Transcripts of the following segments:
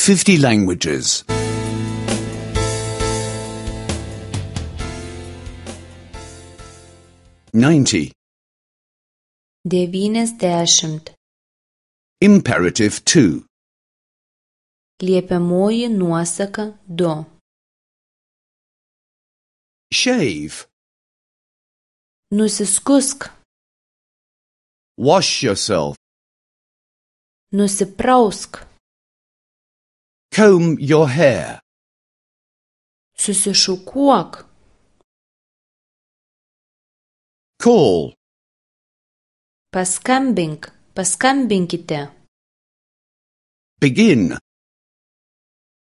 50 languages. 90. 90. Imperative 2. Liepiamoji nuosaka 2. Shave. Nusiskusk. Wash yourself. Nusiprausk. Comb your hair. Susišukuok. Call. Paskambink. Paskambinkite. Begin.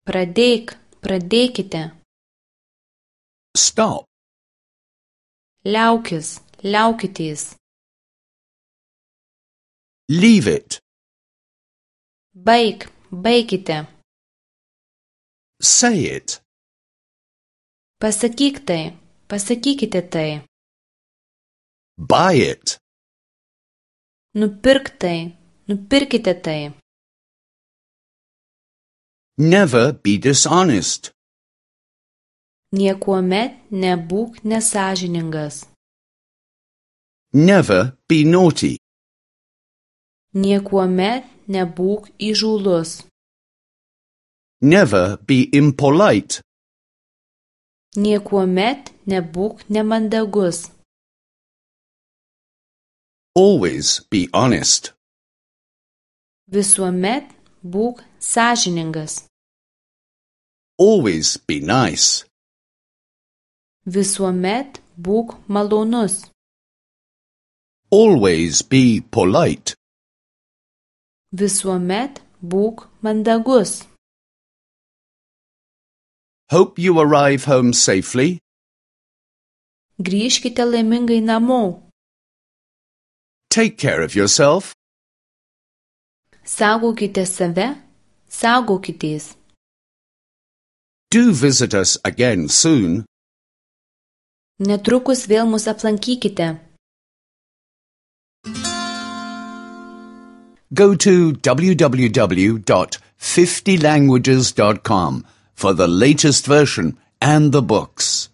Pradėkite. Stop. Liaukitės. Leave it. Baikite. Say it. Pasakykite tai. Buy it. Nupirkite tai. Never be dishonest. Niekuomet nebūk nesąžiningas. Never be naughty. Niekuomet nebūk įžūlus. Never be impolite. Niekuomet nebūk nemandagus. Always be honest. Visuomet būk sąžiningas. Always be nice. Visuomet būk malonus. Always be polite. Visuomet būk mandagus. Hope you arrive home safely. Grįžkite laimingai namo. Take care of yourself. Saugokite save, saugokitės. Do visit us again soon. Netrukus vėl mus aplankykite. Go to www.50languages.com for the latest version and the books.